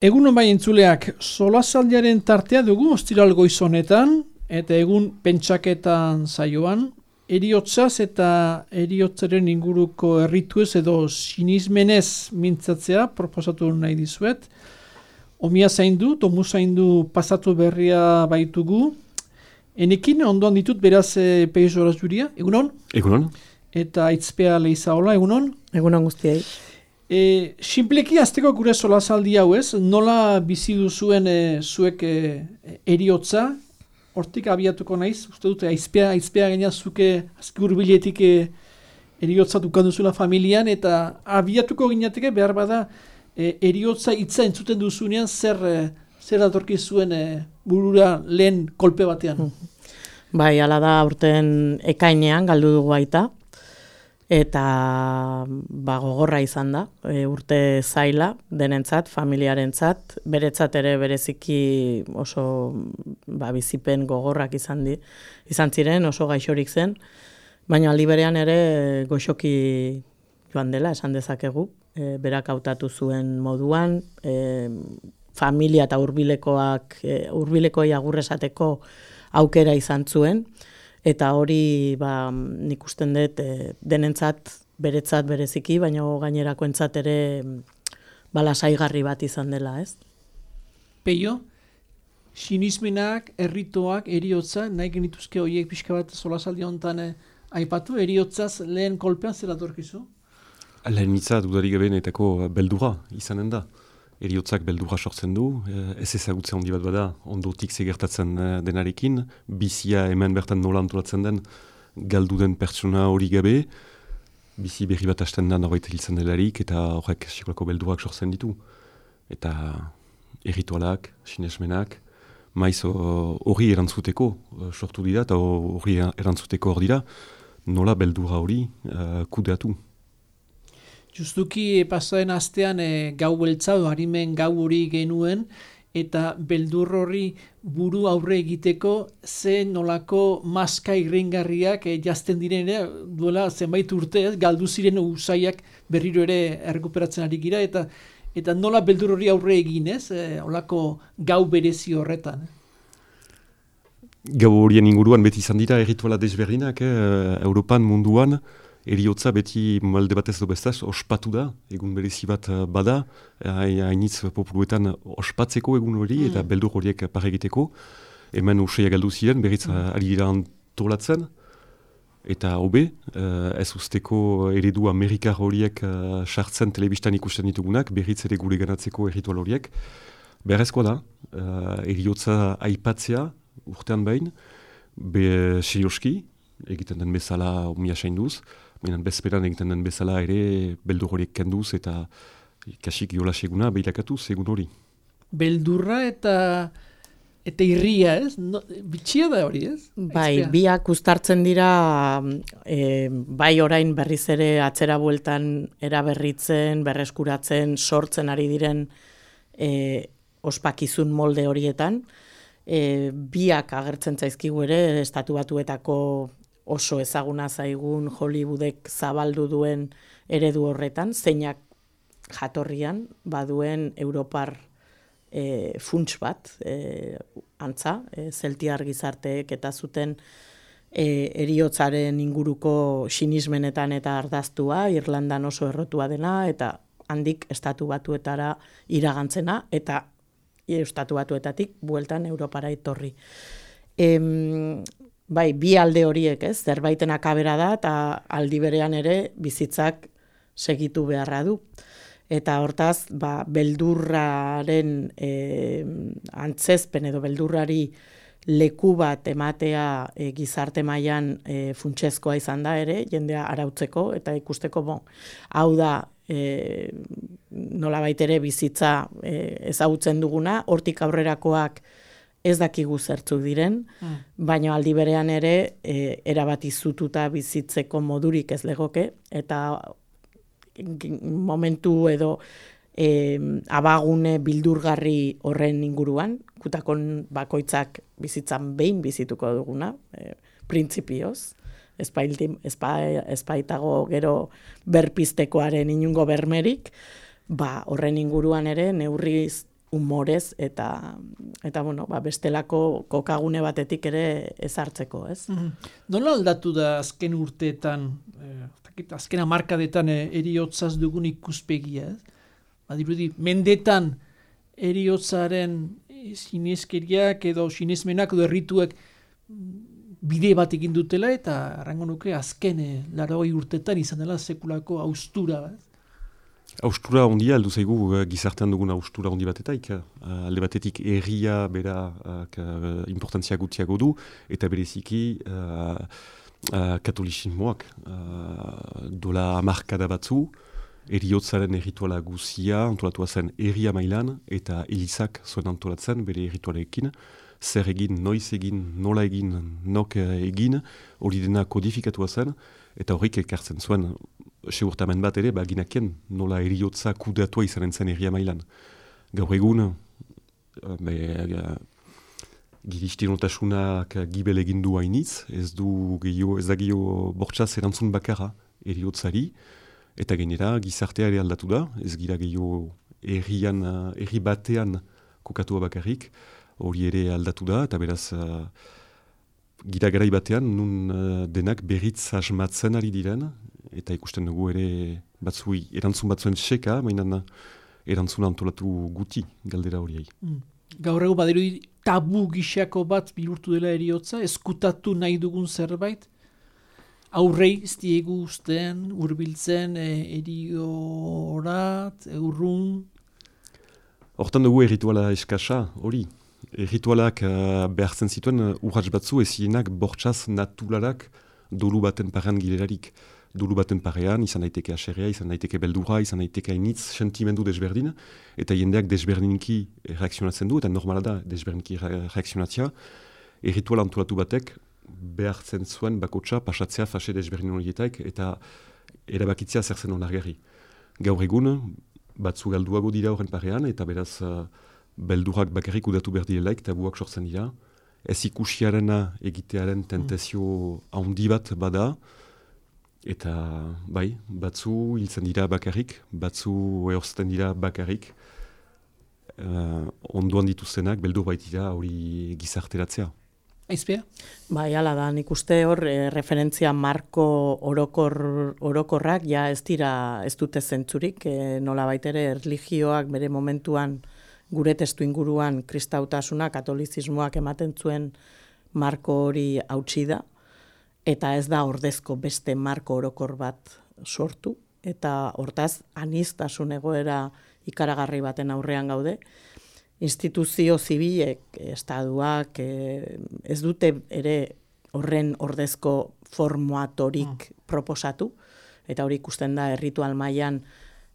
Egunon bai entzuleak, solasaldiaren tartea dugu ostiral goiz honetan, eta egun pentsaketan saioan, heriotzaz eta heriotzaren inguruko errituez edo sinismenez mintzatzea proposatu nahi dizuet. Omia zaindu, tomu zaindu pasatu berria baitugu. Enekin ondoan ditut beraz Peiz Horaz Juria, egunon? Egunon. Eta Aitzpea Leizaola, egunon? Egunon guztiei. Sinpleki azteko gure solasaldi hau ez, nola bizi duzuen zuek heriotza, hortik abiatuko naiz, uste dute aizpea gaina zuke azki hurbiletik heriotza dukan duzula familian, eta abiatuko ginateke behar bada heriotza hitza entzuten duzunean zer datorki zuen burura lehen kolpe batean. Bai, hala da aurten ekainean galdu dugu baita. Eta gogorra izan da, urte zaila denentzat, familiarentzat, beretzat ere bereziki oso bizipen gogorrak izan ziren, oso gaixorik zen, baina aldi berean ere goxoki joan dela, esan dezakegu, berak hautatu zuen moduan, familia eta hurbilekoei agur esateko aukera izan zuen, eta hori nik usten dut denentzat, beretzat bereziki, baina gainerakoentzat ere lasaigarri bat izan dela, ez? Peio, sinismenak, erritoak, heriotza, nahi genituzke horiek pixka bat solasaldi honetan aipatu, heriotzaz lehen kolpean zer datorkizu? Lehen hitza dudarik gabenetako beldura izanen da. Heriotzak beldura sortzen du, ez ezagutze handi bat bada, ondotik zegertatzen denarekin, bizia hemen bertan nola antolatzen den, galdu den pertsona hori gabe, bizi berri bat hasten da norbait hiltzen delarik, eta horrek sekolako beldurak sortzen ditu. Eta erritualak, sinesmenak, maiz hori erantzuteko sortu dira, eta hori erantzuteko hor dira, nola beldura hori kudeatu. Justuki pasaren astean gau beltza, harimen gau hori genuen, eta beldur hori buru aurre egiteko ze nolako maska irringarriak jazten diren duela zenbait urte, galdu ziren usaiak berriro ere errekuperatzen ari gira, eta nola beldur hori aurre egin, olako gau berezi horretan. Gau horien inguruan beti izan dira errituala desberdinak, Europan, munduan, heriotza beti malde batez do bestaz ospatu da, egun berezi bat bada, hainitz populuetan ospatzeko egun hori eta beldur horiek paregiteko. Hemen useia galdu ziren, berriz ari dira antolatzen, eta hobe, ez usteko eredu amerikar horiek sartzen telebistan ikusten ditugunak, berriz ere gure ganatzeko erritual horiek. Beharrezkoa da, heriotza aipatzea urtean behin, serioski, egiten den bezala umia sainduz, baina bezperan egiten den bezala ere beldur horiek kenduz eta kasik jolaseguna behirakatuz egun hori. Beldurra eta irria, ez? Bitxia da hori, ez? Bai, biak uztartzen dira, bai orain berriz ere atzera bueltan eraberritzen, berreskuratzen, sortzen ari diren ospakizun molde horietan. Biak agertzen zaizkigu ere, Estatu Batuetako oso ezaguna zaigun Hollywoodek zabaldu duen eredu horretan, zeinak jatorrian baduen Europar funts bat, antza, zeltiar gizarteek eta zuten heriotzaren inguruko sinismenetan eta ardaztua, Irlandan oso errotua dena, eta handik Estatu Batuetara iragantzena, eta Estatu Batuetatik bueltan Europara etorri. Bai, bi alde horiek, ez, zerbaiten akabera da, eta aldi berean ere bizitzak segitu beharra du. Eta hortaz, beldurraren antzezpen edo beldurrari leku bat ematea gizarte mailan funtsezkoa izan da ere, jendea arautzeko, eta ikusteko, hau da, nolabait ere bizitza ezagutzen duguna, hortik aurrerakoak ez dakigu zertzuk diren, baina aldi berean ere erabat izututa bizitzeko modurik ez legoke, eta momentu edo abagune bildurgarri horren inguruan, kutakon bakoitzak bizitzan behin bizituko duguna, printzipioz, ezpaitago gero berpiztekoaren inungo bermerik, horren inguruan ere neurriz humorez eta bueno, bestelako kokagune batetik ere ezartzeko, ez? Nola aldatu da azken urteetan, azken hamarkadetan heriotzaz dugun ikuspegia, ez? Badirudi, mendetan heriotzaren sineskeriak edo sinesmenak edo errituak bide bat egin dutela eta arrango nuke azken 80 urteetan izan dela sekulako haustura bat. Haustura ondia, aldu zaigu gizartean dugun haustura ondi batetaik. Alde batetik herria bera importantzia gutxiago du eta bereziki katolizismoak dola hamarkada batzu, heriotzaren errituala guzia antolatua zen herria mailan eta elizak zuen antolatzen bere erritualekin. Zer egin, noiz egin, nola egin, nok egin, hori dena kodifikatua zen, eta horrik ekartzen zuen segurtamen bat ere, ginakien nola heriotza kudeatua izanen zen herria mailan. Gaur egun, giristinotasunak gibel egin du hainitz, ez da gehiago bortxaz erantzun bakarra heriotzari, eta gainera gizartea ere aldatu da, ez gira gehiago herri batean kokatua bakarrik, hori ere aldatu da, eta beraz gira garai batean nun denak berritz asmatzen ari diren, eta ikusten dugu ere erantzun batzuen seka, mainan erantzun antolatu guti galdera horiei. Gaur egu badirudi tabu gixako bat bihurtu dela heriotza, eskutatu nahi dugun zerbait, aurrei ez diegu usten, hurbiltzen, heriorat, urrun. Hortan dugu errituala eskasa, hori. Ritualak behartzen zituen urrats batzu ezienak bortxaz naturarak dolu baten parean gilerarik. Dolu baten parean izan daiteke aserrea, izan daiteke beldura, izan daiteke hainitz sentimendu desberdin, eta jendeak desberdinki reakzionatzen du, eta normala da desberdinki reakzionatzea. Ritual antolatu batek behartzen zuen bakotsa pasatzea fase desberdin horietaik, eta erabakitzea zer zen onargarri. Gaur egun, batzu galduago dira horren parean, eta beraz beldurak bakarrik udatu behar direlaik, tabuak sortzen dira. Ez ikusiarena egitearen tentazio handi bat bada, eta batzu hiltzen dira bakarrik, batzu ehorzten dira bakarrik, ondoan dituztenak, beldur baitira hori gizarteratzea. Aizpea? Hala da, nik uste hor referentzia marko orokorrak ja ez dute zentzurik, nola baitere erlijioak bere momentuan gure testu inguruan kristautasuna, katolizismoak ematen zuen marko hori hautsi da, eta ez da ordezko beste marko orokor bat sortu, eta hortaz aniztasun egoera ikaragarri baten aurrean gaude. Instituzio zibilek, estatuak, ez dute ere horren ordezko formatorik proposatu, eta hori ikusten da erritual mailan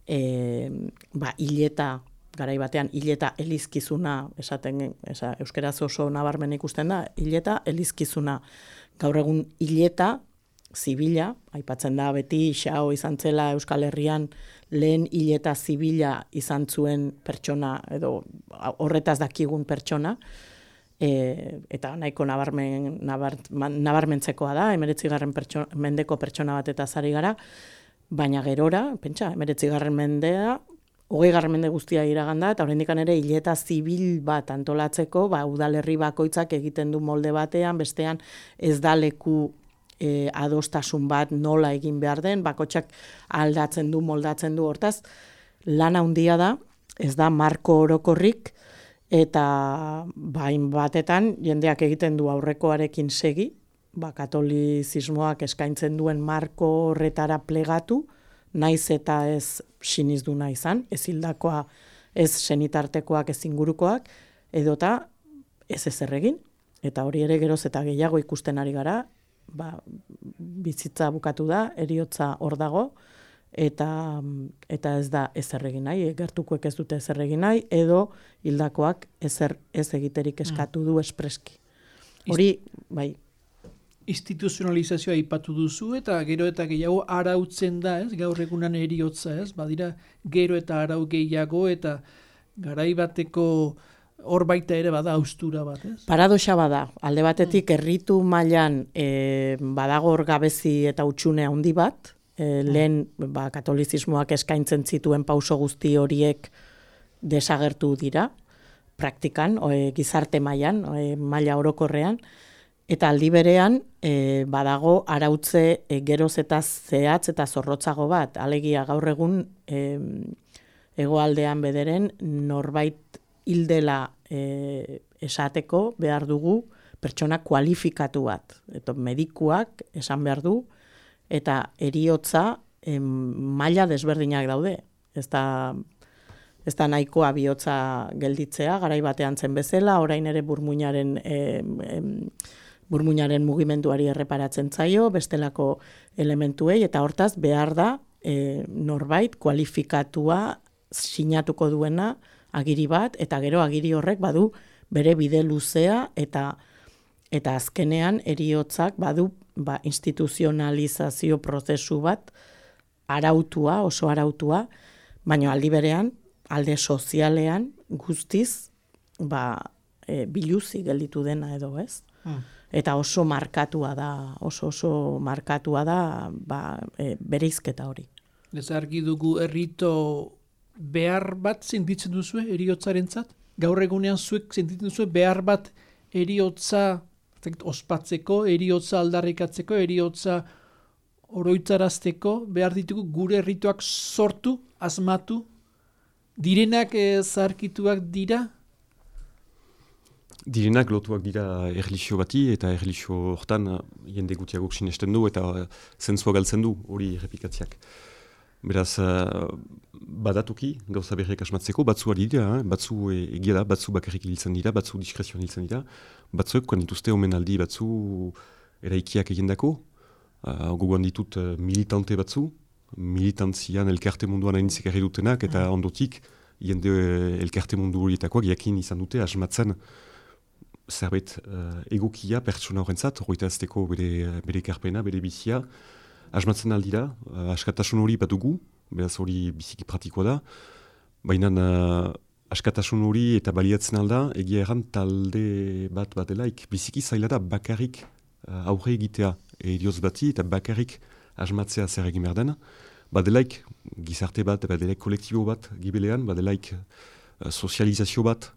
hileta, garai batean hileta elizkizuna, euskeraz oso nabarmen ikusten da, hileta elizkizuna. Gaur egun hileta zibila, aipatzen da beti xao izan zela Euskal Herrian lehen hileta zibila izan zuen pertsona, edo horretaz dakigun pertsona, eta nahiko nabarmentzekoa da, 19. Mendeko pertsona bat eta zari gara, baina gerora, pentsa, 19. Mendea, 20. Mende guztia iraganda, eta oraindikan ere hileta zibil bat antolatzeko, udalerri bakoitzak egiten du molde batean, bestean ez da leku adostasun bat nola egin behar den, bakoitzak aldatzen du, moldatzen du, hortaz, lana handia da, ez da marko orokorrik, eta batetan jendeak egiten du aurrekoarekin segi, katolizismoak eskaintzen duen marko horretara plegatu, naiz eta ez sinizduna izan, ez hildakoa, ez senitartekoak, ez ingurukoak, edota ez ezer egin, eta hori ere geroz eta gehiago ikusten ari gara, bizitza bukatu da, heriotza hor dago, eta ez da ezer egin nahi, gertukoek ez dute ezer egin nahi, edo hildakoak ezer ez egiterik eskatu du espreski. Hori, instituzionalizazioa aipatu duzu, eta gero eta gehiago arautzen da, gaur egunan heriotza, badira gero eta arau gehiago, eta garai bateko hor baita ere bada haustura bat, Paradoxa bada, alde batetik erritu mailan badago hor gabezi eta hutsune handi bat, lehen katolizismoak eskaintzen zituen pauso guzti horiek desagertu dira, praktikan, gizarte mailan, maila orokorrean, eta aldi berean badago arautze geroz eta zehatz eta zorrotzago bat, alegia gaur egun hegoaldean bederen norbait hildela esateko behar dugu pertsona kualifikatu bat. Eta medikuak esan behar du, eta heriotza maila desberdinak daude. Ez da nahikoa bihotza gelditzea, garai batean zen bezala, orain ere burmuinaren mugimenduari erreparatzen zaio, bestelako elementuei, eta hortaz behar da norbait kualifikatua sinatuko duena agiri bat, eta gero agiri horrek badu bere bide luzea, eta azkenean heriotzak badu instituzionalizazio prozesu bat arautua, oso arautua, baina aldi berean, alde sozialean guztiz biluzi gelditu dena edo, ez? Eta oso markatua da, oso markatua da bereizketa hori. Ez argi dugu errito behar bat sentitzen duzu heriotzarentzat? Gaur egunean zuek sentitzen duzu behar bat heriotza ospatzeko, heriotza aldarrikatzeko, heriotza oroitzarazteko, behar ditugu gure errituak sortu, asmatu, direnak zarkituak dira? Direnak lotuak dira erlijio bati, eta erlijio hortan jende gutiagok sinesten du, eta zentzua galtzen du hori errepikatziak. Beraz, badatuki, gauza berriak asmatzeko, batzu ari dira, batzu egia da, batzu bakarrik hiltzen dira, batzu diskrezioan hiltzen dira, batzuek dituzte omenaldi batzu eraikiak egendako, gogoan ditut militante batzu, militantzian elkarte munduan hainitzik erri dutenak, eta ondotik, jende elkarte mundu horietakoak jakin izan dute asmatzen zerbait egokia pertsona horrentzat, horreta azteko bere ekarpena, bere bizia, asmatzen aldira, askatasun hori bat dugu, beraz hori biziki praktikoa da, baina askatasun hori eta baliatzen alda, egia erran talde bat delaik, biziki zaila da bakarrik aurre egitea herioz bati eta bakarrik asmatzea zer egin behar den, badelaik gizarte bat, badelaik kolektibo bat gibelean, badelaik sozializazio bat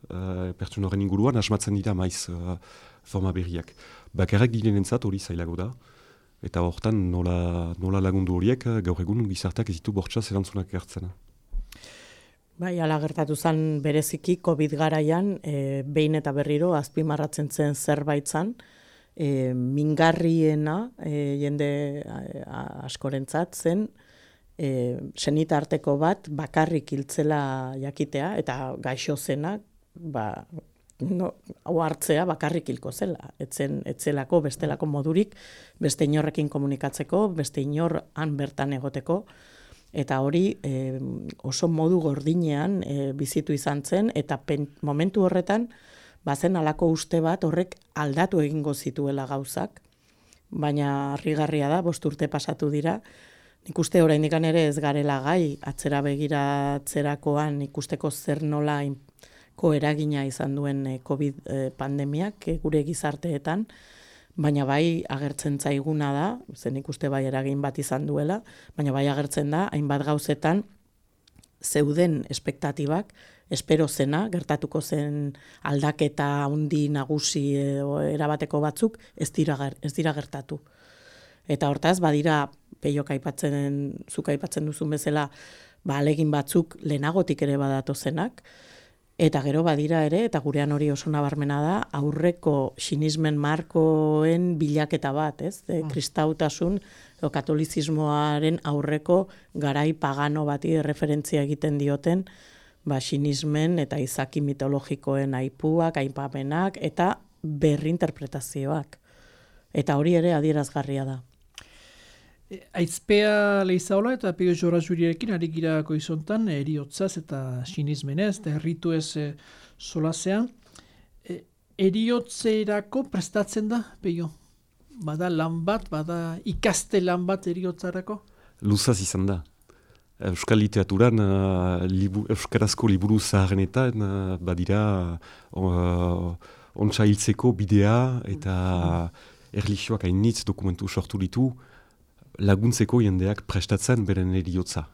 pertsona horren inguruan asmatzen dira maiz forma berriak. Bakarrik direnentzat hori zailago da, eta hortan nola lagundu horiek gaur egun gizarteak ez ditu bortxaz erantzunak hartzen. Bai, ala gertatu zen bereziki COVID garaian, behin eta berriro azpimarratzen zen zerbait zen, mingarriena jende askorentzat zen, senitarteko bat bakarrik hiltzela jakitea, eta gaixo zenak, hau hartzea bakarrik hilko zela. Etzelako bestelako modurik, beste inorrekin komunikatzeko, beste inor han bertan egoteko, eta hori oso modu gordinean bizitu izan zen, eta momentu horretan, bazen halako uste bat horrek aldatu egingo zituela gauzak, baina harrigarria da, 5 urte pasatu dira, nik uste oraindik ere ez garela gai, atzera begiratzerakoan ikusteko zer nola eragina izan duen COVID pandemiak gure gizarteetan, baina bai agertzen zaiguna da, zen ikuste bai eragin bat izan duela, baina bai agertzen da, hainbat gauzetan zeuden espektatibak, espero zena, gertatuko zen aldaketa handi nagusi erabateko batzuk, ez dira gertatu. Eta hortaz, badira, Peiok zuk aipatzen duzun bezala, ahalegin batzuk lehenagotik ere badatu zenak, eta gero badira ere, eta gurean hori oso nabarmena da, aurreko sinismen markoen bilaketa bat, ez? Kristautasun, katolizismoaren aurreko garai pagano bati referentzia egiten dioten, sinismen eta izaki mitologikoen aipuak, aipamenak, eta berrinterpretazioak. Eta hori ere adierazgarria da. Aizpea Leizaola eta Peio Jora Juriarekin ari gira goizontan, heriotzaz eta sinismenez, eta herritu ez solasean. Heriotzerako prestatzen da, Peio? Bada lan bat, bada ikaste lan bat heriotzarako? Luzaz izan da. Euskal literaturan, euskarazko liburu zaharrenetan, badira ontsa hiltzeko bidea eta erlijioak hainitz dokumentu sortu ditu, laguntzeko jendeak prestatzen beren eriotza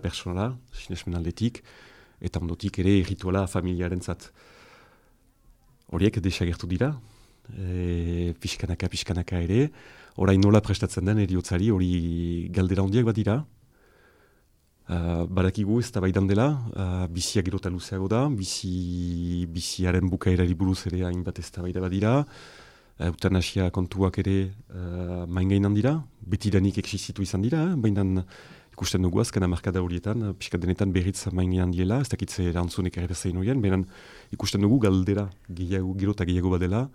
personala, sinesmen aldetik, eta ondotik ere errituala familiarentzat. horiek desagertu dira, pixkanaka ere, orain nola prestatzen den eriotzari hori galdera hondiak bat dira. Badakigu ez da baidan dela, bizia gero eta luzeago da, biziaren bukaerari buruz ere hainbat ez da baida badira, eutanasia kontuak ere maingainan dira, betidanik existitu izan dira, baina ikusten dugu azken hamarkada horietan, pixka denetan berriz maingainan diela, ez dakitze erantzunek ere bezain horien, baina ikusten dugu galdera gero eta gehiago badela,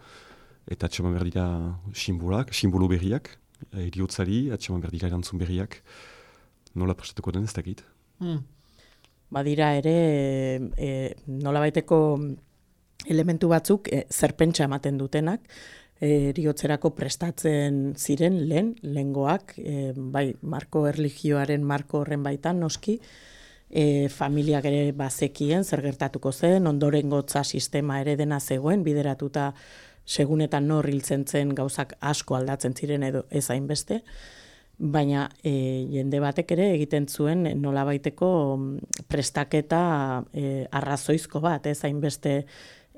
eta atxeman behar dira simbolo berriak, eriotzari, atxeman behar dira erantzun berriak, nola prestatuko den ez dakit. Badira ere, nola baiteko elementu batzuk zerpentsa ematen dutenak, eriotzerako prestatzen ziren lehengoak, bai, marko erlijioaren marko horren baitan noski, familiak ere bazekien zer gertatuko zen, ondorengotza sistema ere dena zegoen, bideratuta segunetan nor hiltzen zen gauzak asko aldatzen ziren edo ez hainbeste, baina jende batek ere egiten zuen nolabaiteko prestaketa arrazoizko bat, ez hainbeste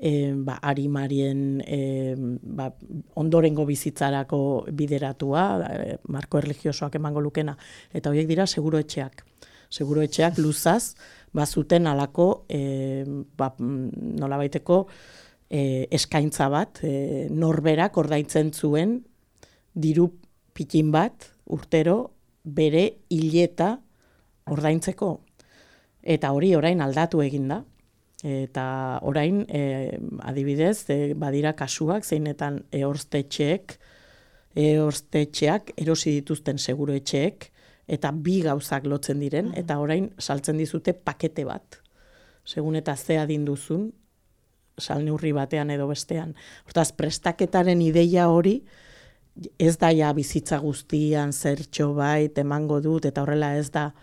arimarien ondorengo bizitzarako bideratua, marko erlijiosoak emango lukena, eta horiek dira seguroetxeak. Seguroetxeak luzaz, bazuten alako nolabaiteko eskaintza bat, norberak ordaintzen zuen diru pikin bat urtero bere hileta ordaintzeko. Eta hori orain aldatu eginda. Eta orain, adibidez, badira kasuak, zeinetan ehorztetxeak erosi dituzten seguroetxeek, eta bi gauzak lotzen diren, eta orain saltzen dizute pakete bat. Segun eta ze adin duzun, salneurri batean edo bestean. Hortaz, prestaketaren ideia hori, ez da ja bizitza guztian zertxo bait emango dut, eta horrela ez da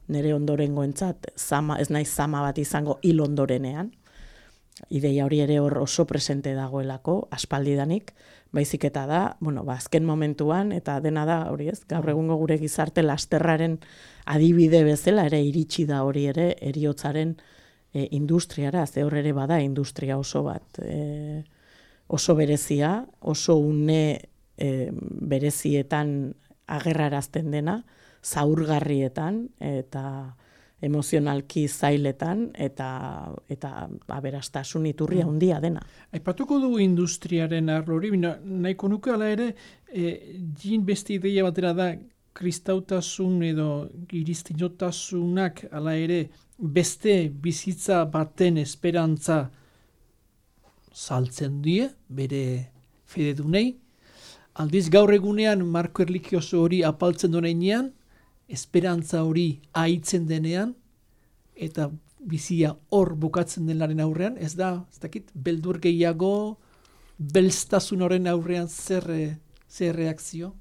nire ondorengoentzat, ez naiz zama bat izango hil ondorenean. Ideia hori ere hor oso presente dagoelako, aspaldidanik, baizik eta da, azken momentuan, eta dena da hori ez, gaur egungo gure gizarte lasterraren adibide bezala ere iritsi da hori ere heriotzaren industriara, ze hor ere bada industria oso bat, oso berezia, oso une berezietan agerrarazten dena, zaurgarrietan eta emozionalki zailetan eta aberastasun iturria handia dena. Aipatuko dugu industriaren arlori, nahiko nuke ala ere, jin beste ideia batera da, kristautasun edo iristinotasunak ala ere beste bizitza baten esperantza saltzen die, bere fededunei. Aldiz gaur egunean marko erlijioso hori apaltzen donenean, esperantza hori aitzen denean, eta bizia hor bukatzen denaren aurrean, ez dakit, beldur gehiago, belztasun horren aurrean zer reakzio?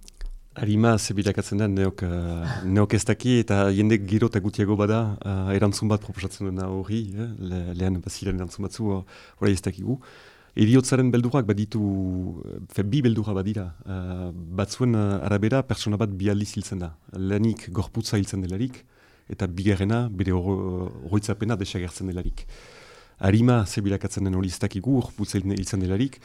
Arima zebilakatzen da neok ez daki, eta jende giro eta gutiago bada erantzun bat proposatzen dena hori, lehen baziren erantzun batzu, hori ez dakigu. Eriotzaren beldurak baditu, bi beldura badira, batzuen arabera pertsona bat bi aldiz hiltzen da. Lehenik gorputza hiltzen delarik, eta bigarrena bere oroitzapena desagertzen delarik. Arima zebilakatzen den hori ez dakigu, gorputza hiltzen delarik,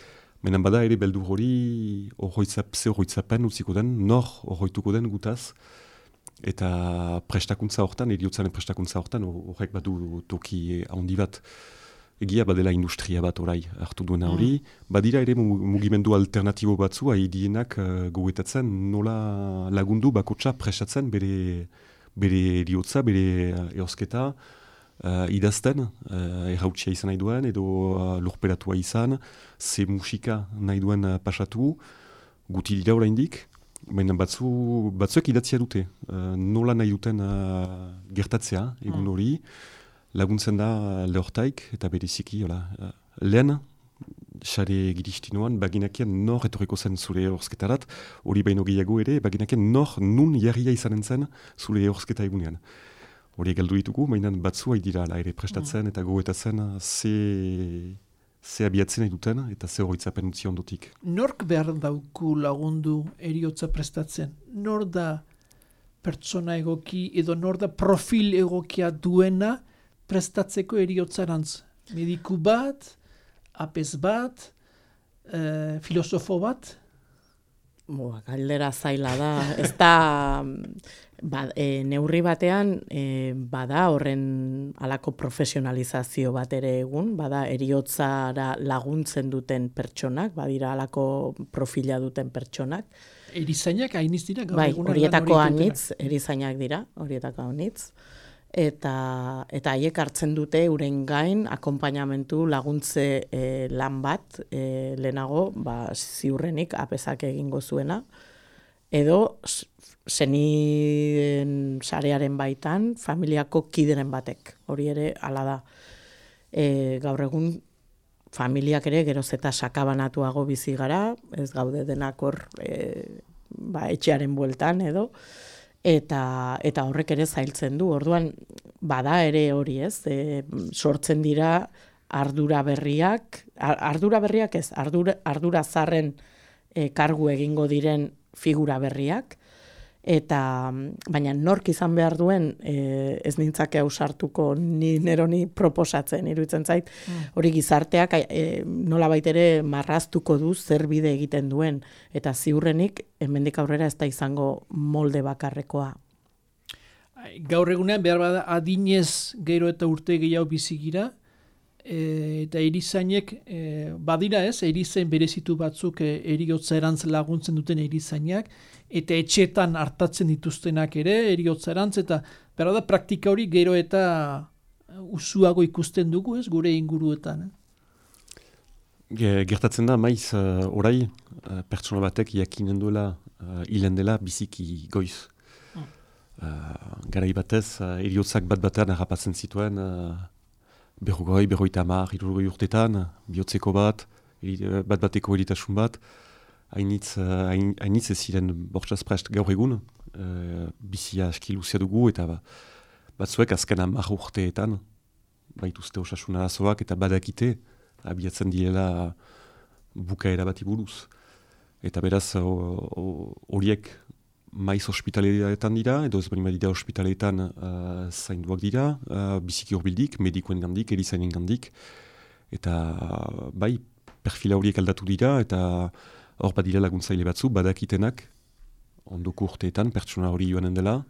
menan bada ere beldur hori oroitzapen utziko den, nor oroituko den gutaz, eta prestakuntza hortan, eriotzaren prestakuntza hortan, horrek badu toki handi bat. Egia badela industria bat orai hartu duena hori, badira ere mugimendu alternatibo batzu haidienak gogoetatzen nola lagundu bakotsa prestatzen bere eriotza, bere ehosketa idazten, errautsia izan nahi duen edo lurperatua izan, ze musika nahi duen pasatu, guti dira oraindik, baina batzuek idatzia dute, nola nahi duten gertatzea egun hori, laguntzen da lehortaik eta bereziki, lehen, xare giristinoan, baginakien nor etorriko zen zure ehorzketarat, hori baino gehiago ere, baginakien nor nun jarria izanen zen zure ehorzketa egunean. Hori galdu ditugu, mainan batzu dira ere prestatzen eta gogoetatzen ze abiatzen nahi duten eta ze horoitzapen utzi ondotik. Nork behar dauku lagundu eriotza prestatzen? Nor da pertsona egoki edo nor da profil egokia duena prestatzeko eriotzarantz? Mediku bat, apez bat, filosofo bat? Galdera zaila da. Ez da, neurri batean, bada horren halako profesionalizazio bat ere egun, bada eriotzara laguntzen duten pertsonak, badira halako profila duten pertsonak. Erizainak hainitz dira? Bai, horietako anitz, erizainak dira, horietako anitz. Eta haiek hartzen dute euren gain akonpainamentu laguntze lan bat lehenago ziurrenik apezak egingo zuena, edo seniden sarearen baitan familiako kideren batek, hori ere hala da. Gaur egun familiak ere geroz eta sakabanatuago bizi gara, ez gaude denak hor etxearen bueltan edo, eta horrek ere zailtzen du. Orduan, bada ere hori ez, sortzen dira ardura berriak ez, ardura zarren kargu egingo diren figura berriak, baina nork izan behar duen ez nintzake ausartuko ni neroni proposatzen, iruditzen zait, hori gizarteak nolabait ere marraztuko du zer bide egiten duen, eta ziurrenik hemendik aurrera ez da izango molde bakarrekoa. Gaur egunean behar bada adinez gero eta urte gehiago bizigira, eta erizainek badira ez, erizain berezitu batzuk eriotza erantz laguntzen duten erizainak, eta etxetan hartatzen dituztenak ere eriotza erantz, eta behar da praktika hori gero eta usuago ikusten dugu ez, gure inguruetan. Gertatzen da, maiz orai, pertsona batek jakinen duela hilen dela biziki goiz. Garai batez, eriotzak bat-batean harrapatzen zituen, berrogoi, berroita hamar, hirurogei urtetan, bihotzeko bat-bateko eritasun bat, hainitz ez ziren bortxaz prest gaur egun, bizia aski luzea dugu, eta batzuek azken 10 urteetan, baituzte osasun arazoak eta badakite, abiatzen direla bukaera bati buruz. Eta beraz, horiek maiz ospitaletan dira, edo ez bali badira ospitaletan zainduak dira, biziki horbildik, medikoen gandik, erizainen gandik, eta bai, perfila horiek aldatu dira, eta hor badira laguntzaile batzu, badakitenak, ondoko urteetan, pertsona hori joanen dela,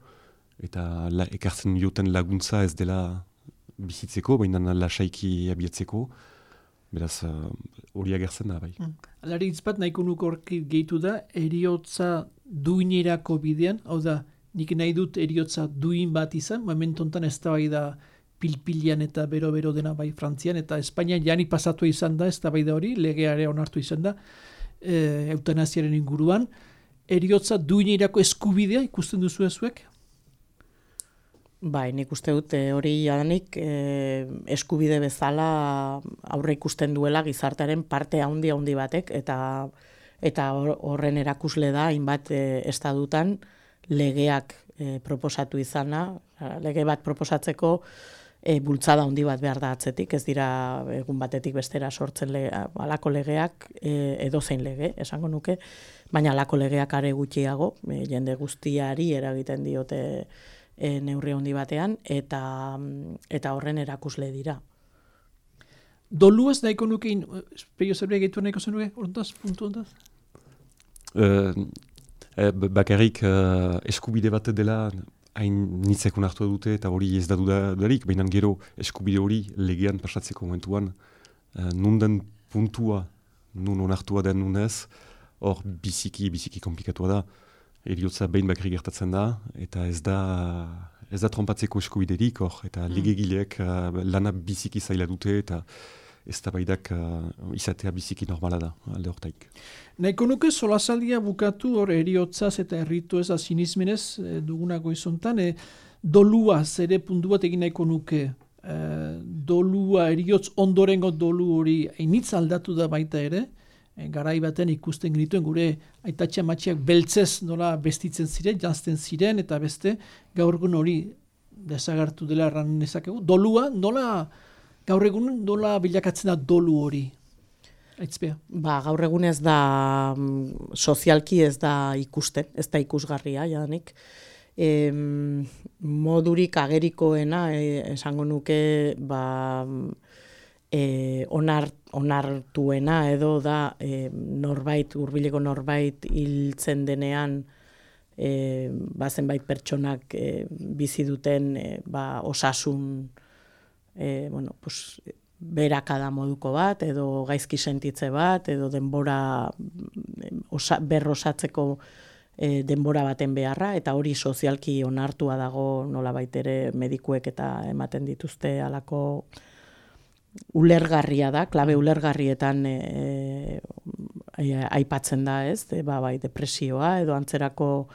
eta ekartzen dioten laguntza ez dela bizitzeko, baina lasaiki abiatzeko, beraz, hori agertzen da, bai. Alari bat nahiko nuko horki gehitu da, eriotza duinerako bidean, hau da, nik nahi dut eriotza duin bat izan, momentu honetan ez da bai da pilpilian eta bero-bero dena bai Frantzian, eta Espainian jani pasatu izan da, ez da bai da hori, legeare onartu izan da, eutanasiaren inguruan, eriotza duinerako eskubidea ikusten duzu ezuek? Bai, nik uste dut hori jadanik eskubide bezala aurre ikusten duela gizartearen parte handi batek, eta horren erakusle da, hainbat estadutan legeak proposatu izana, lege bat proposatzeko bultzada handi bat behar da atzetik, ez dira egun batetik bestera sortzen halako legeak, edozein lege, esango nuke, baina halako legeak are gutxiago, jende guztiari eragiten diote neurri handi batean, eta horren erakusle dira. Dolu ez nahiko nukein, peio zerbait gehitu nahiko zenuke, horontaz, puntu hontaz? Bakarrik eskubide bat dela hain nitzekun hartu dute eta hori ez da dudarik, baina gero eskubide hori legean pasatzeko momentuan nunden puntua, nun onartua den nunez, hor biziki komplikatua da. Eriotza behin bakarrik gertatzen da, eta ez da trompatzeko eskubiderik, eta legegileek lana biziki zaila dute, eta ez da baidak izatea biziki normala da, alde hortaik. Nahiko nuke solasaldia bukatu hor eriotzaz eta erritu ez azinizmenez dugunako izontan, dolua zere puntu bat egin nahiko nuke. Dolua, eriotz ondorengo dolu hori hainitz aldatu da baita ere, garai baten ikusten genituen gure aitatxe amatxiak beltzez nola bestitzen ziren, janzten ziren, eta beste gaur egun hori desagertu dela erran nezakegu. Dolua, gaur egun nola bilakatzen da dolu hori? Aitzpea. Gaur egun ez da, sozialki ez da ikusten, ez da ikusgarria, jadanik. Modurik agerikoena, esango nuke, onartuena edo da norbait, hurbileko norbait hiltzen denean zenbait pertsonak bizi duten osasun berakada moduko bat, edo gaizki sentitze bat, edo denbora berrosatzeko denbora baten beharra, eta hori sozialki onartua dago nolabait ere medikuek eta ematen dituzte halako ulergarria da, klabe ulergarrietan aipatzen da, ez? Bai, depresioa edo antzerako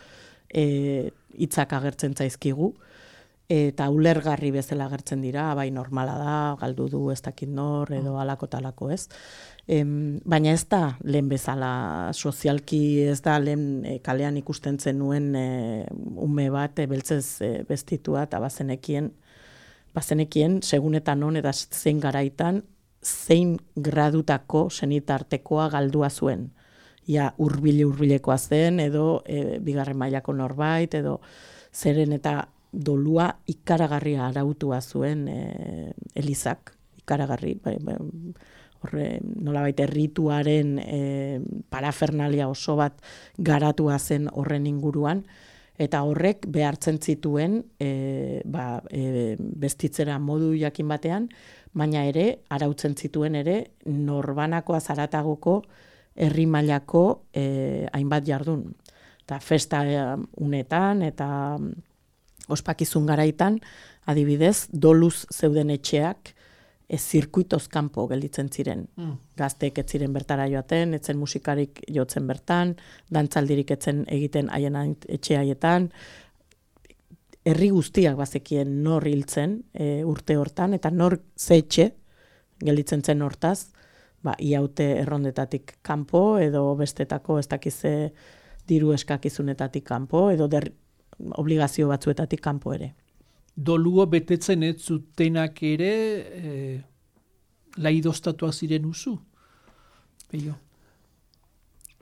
hitzak agertzen zaizkigu, eta ulergarri bezala agertzen dira, bai normala da, galdu du ez dakit nor, edo alako talako, ez? Baina ez da lehen bezala, sozialki ez da lehen kalean ikusten zenuen ume bat beltzez bestitua, eta bazenekien segun eta non eta zein garaitan, zein gradutako senitartekoa galdua zuen. Ja, hurbilekoa zen, edo bigarren mailako norbait, edo zeren eta dolua ikaragarria arautua zuen Elizak, ikaragarri, nolabait errituaren parafernalia oso bat garatua zen horren inguruan, eta horrek behartzen zituen bestitzera modu jakin batean, baina ere, arautzen zituen ere, norbanakoa zaratagoko herri mailako hainbat jardun. Eta festa unetan eta ospakizun garaitan, adibidez, doluz zeuden etxeak zirkuitoz kanpo gelditzen ziren. Gazteek ez ziren bertara joaten, etzen musikarik jotzen bertan, dantzaldirik etzen egiten haien etxe haietan, herri guztiak bazekien nor hiltzen urte hortan, eta nor ze etxe gelditzen zen hortaz, iaute errondetatik kanpo, edo bestetako ez dakize diru eskakizunetatik kanpo, edo obligazio batzuetatik kanpo ere. Dolua betetzen ez zutenak ere laidoztatuak ziren usu? Peio?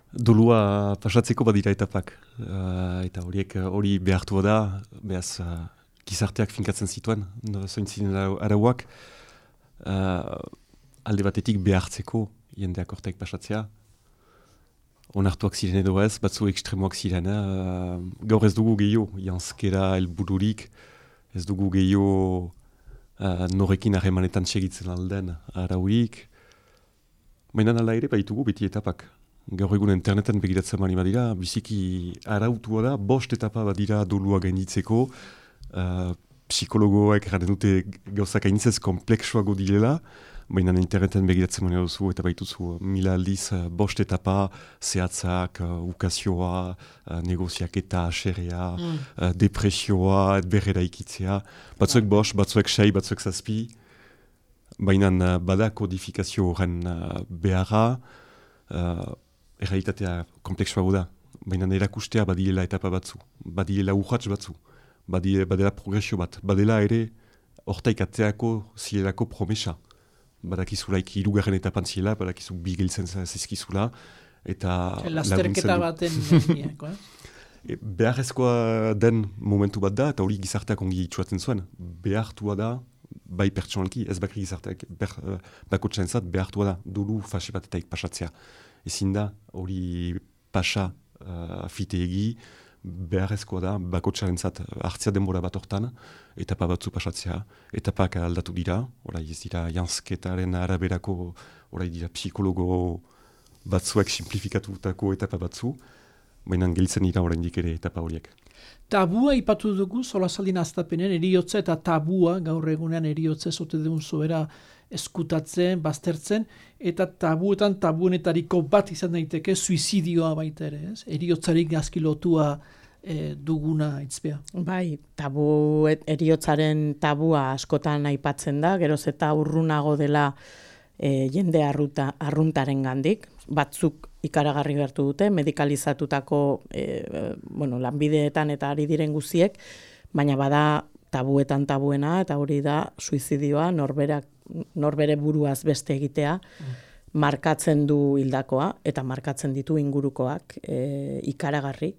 Dolua pasatzeko badira etapak. Eta hori behartua da, behaz gizarteak finkatzen zituen, zointzinen arauak, alde batetik behartzeko jendeak hortek pasatzea. Onartuak ziren edo ez, batzu ekstremoak ziren. Gaur ez dugu gehiago, janzkera helbururik, ez dugu gehiago norekin harremanetan segitzen alden arauik. Baina ala ere baitugu beti etapak. Gaur egun interneten begiratzen mani badira, biziki arautua da, 5 etapa badira dolua gainditzeko, psikologoek erraten dute gauzak hainitzez kompleksuago direla, baina interneten begiratzen mani duzu eta baituzu 1000 aldiz 5 etapa, zehatzak, ukazioa, negoziaketa, aserea, depresioa, berrera ikitzea, batzuek 5, batzuek 6, batzuek 7, baina bada kodifikazio horren beharra, errealitatea kompleksuago da, baina erakustea badiela etapa batzu, badiela urratz batzu, badela progresio bat, badela ere hortaik atzeako zilelako promesa. Badakizulaik 3. etapan ziela, badakizu bigiltzen zizkizula, eta lasterketa baten nieko, beharrezkoa den momentu bat da, eta hori gizarteak ongi itxuatzen zuen. Behartua da, bai pertsonalki, ez bakri gizarteak bakotxaren zat, behartua da, dolu fase batetaik pasatzea. Ezin da, hori pasa fiteegi, beharrezkoa da, bakotxaren zat hartzea denbora bat hortan, etapa batzu pasatzea, etapak aldatu dira, orai ez dira janzketaren araberako, orai dira psikologo batzuek simplifikatutako etapa batzu, baina gelditzen dira oraindik ere etapa horiek. Tabua ipatu dugu, solasaldin aztapenen, eriotza eta tabua, gaur egunean eriotza zote dugun zoera eskutatzen, baztertzen, eta tabuenetariko bat izan daiteke suizidioa baita ere, ez? Eriotzarik gazki lotua duguna itzpea. Bai, eriotzaren tabua askotan aipatzen da, geroz eta urrunago dela jende arruntaren gandik, batzuk ikaragarri gertu dute, medikalizatutako lanbideetan eta ari diren guziek, baina bada tabuena, eta hori da suizidioa, norbere buruaz beste egitea, markatzen du hildakoa, eta markatzen ditu ingurukoak ikaragarri,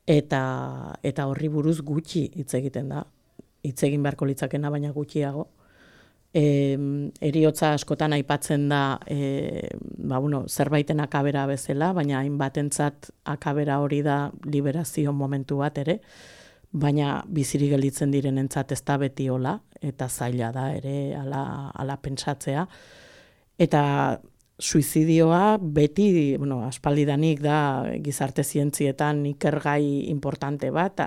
eta horri buruz gutxi hitz egiten da. Hitz egin beharko litzakena, baina gutxiago. Heriotza askotan aipatzen da zerbaiten akabera bezala, baina hainbatentzat akabera hori da liberazio momentu bat ere, baina bizirik gelditzen direnentzat ez da beti hola, eta zaila da ere ala pentsatzea. Eta suizidioa beti, aspaldidanik da gizarte zientzietan ikergai importante bat,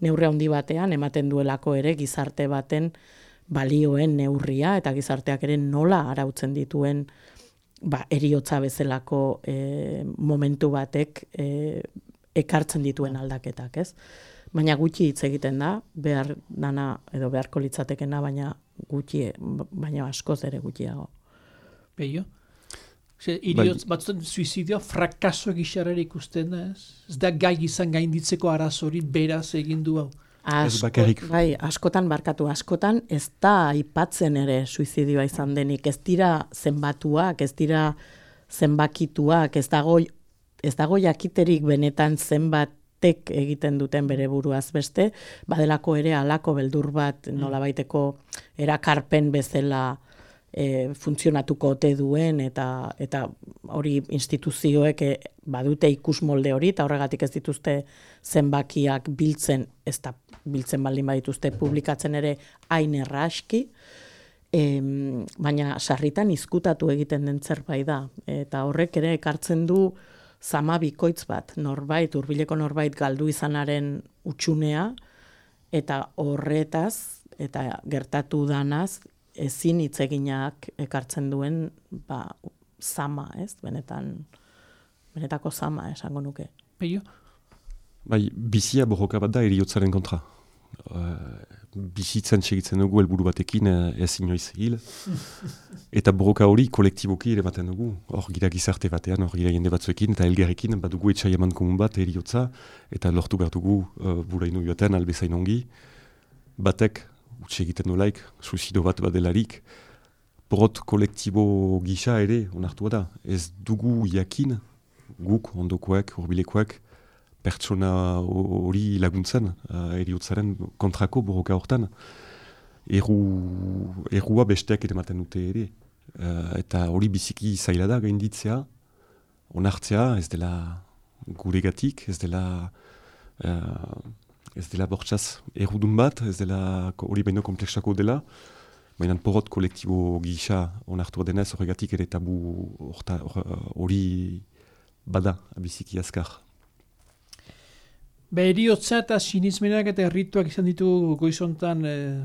neurri handi batean ematen duelako ere gizarte baten balioen neurria eta gizarteak ere nola arautzen dituen heriotza bezalako momentu batek ekartzen dituen aldaketak, ez? Baina gutxi hitz egiten da, behar dana edo beharko litzatekena, baina askoz ere gutxiago. Peio? Batzutan suizidioa frakaso egixarera ikusten da, ez? Ez da gai izan gainditzeko arazorit beraz egin du hau. Askotan ez da aipatzen ere suizidioa izan denik, ez dira zenbatuak, ez dira zenbakituak, ez dago jakiterik benetan zenbatek egiten duten bere buruaz beste, badelako ere halako beldur bat nolabaiteko erakarpen bezala funtzionatuko ote duen eta hori instituzioek badute ikusmolde hori eta horregatik ez dituzte zenbakiak biltzen, ez da biltzen baldin badituzte publikatzen ere hain erraski, baina sarritan izkutatu egiten den zerbait da eta horrek ere ekartzen du zama bikoitz bat, hurbileko norbait galdu izanaren utxunea eta horretaz eta gertatu danaz ezin hitz eginak ekartzen duen zama, ez? Benetako zama, esango nuke. Peio? Bizia borroka bat da heriotzaren kontra. Bizitzen segitzen dugu helburu batekin ez inoiz hil. Eta borroka hori kolektiboki ere baten dugu. Hor gira gizarte batean, hor gira jende batzuekin eta elgarrekin badugu etxai eman komun bat heriotza eta lortu behar dugu buraino joaten albezain ongi. Batek utxe egiten nolaik, suizido bat badelarik, porot kolektibo gisa ere onartua da. Ez dugu jakin, guk, ondokoek, hurbilekoek, pertsona hori laguntzen, heriotzaren kontrako borroka hortan. Errua besteak ere maten dute ere. Eta hori biziki zaila da gainditzea, onartzea, ez dela guregatik, ez dela bortxaz errudun bat, ez dela hori baino komplexako dela, baina porot kolektibo gisa onartua denez horregatik ere tabu hori bada biziki azkar. Heriotza eta sinismenak eta errituak izan ditugu goizontan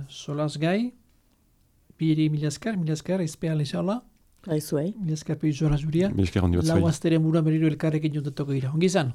solaz gai. Biri mila esker, izpea lezala. Aizuei. Mila esker peizora zuria. Mila esker handi bat zuei. Lau azteren mura berriro elkarrekin jontatoko dira. Ongi izan?